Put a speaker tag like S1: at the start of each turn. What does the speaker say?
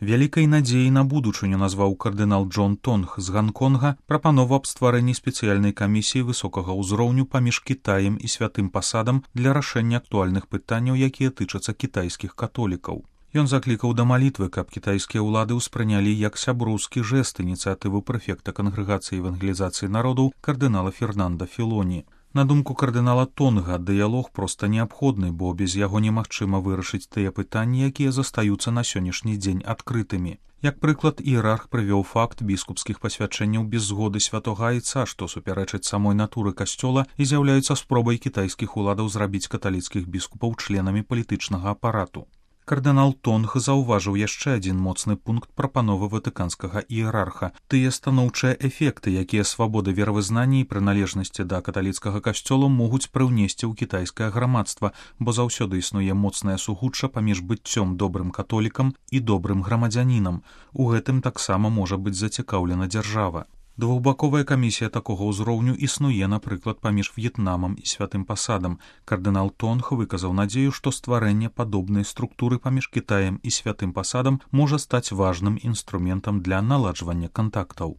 S1: Вялікай надзеяй на будучыню назваў кардынал Джон Тонг з Ганконга прапанову аб стварэнні спецыяльнай камісіі высокага ўзроўню паміж Кітаем і святым пасадам для рашэння актуальных пытанняў, якія тычацца кітайскіх католікаў. Ён заклікаў да малітвы, каб кітайскія ўлады ўспрынялі як сяброўскі жэст ініцыятыву прэфекта кангрэгацыі евангелізацыі народаў кардынала Фернанда Філоні. На думку кардынала Тонга, дыялог проста неабходны, бо без яго немагчыма вырашыць тыя пытанні, якія застаюцца на сённяшні дзень адкрытымі. Як прыклад, іерарх прывёў факт біскупскіх пасвячэнняў без згоды святога айца, што супярэчыць самой натуры касцёла і з'яўляюцца спробай кітайскіх уладаў зрабіць каталіцкіх біскупаў членамі палітычнага апарату. Кардынал Тонг заўважыў яшчэ адзін моцны пункт прапановы ватыканскага іерарха. Тыя станоўчыя эфекты, якія свабода веравызнання і прыналежнасці да каталіцкага касцёла могуць прыўнесці ў кітайскае грамадства, бо заўсёды існуе моцнае сугучча паміж быццём добрым католікам і добрым грамадзянінам. У гэтым таксама можа быць зацікаўлена дзяржава. Двухбаковая камісія такога ўзроўню існуе, напрыклад, паміж В'етнамам і святым пасадам. Кардынал Тонг выказаў надзею, што стварэнне падобнай структуры паміж Кітаем і святым пасадам можа стаць важным інструментам для наладжвання кантактаў.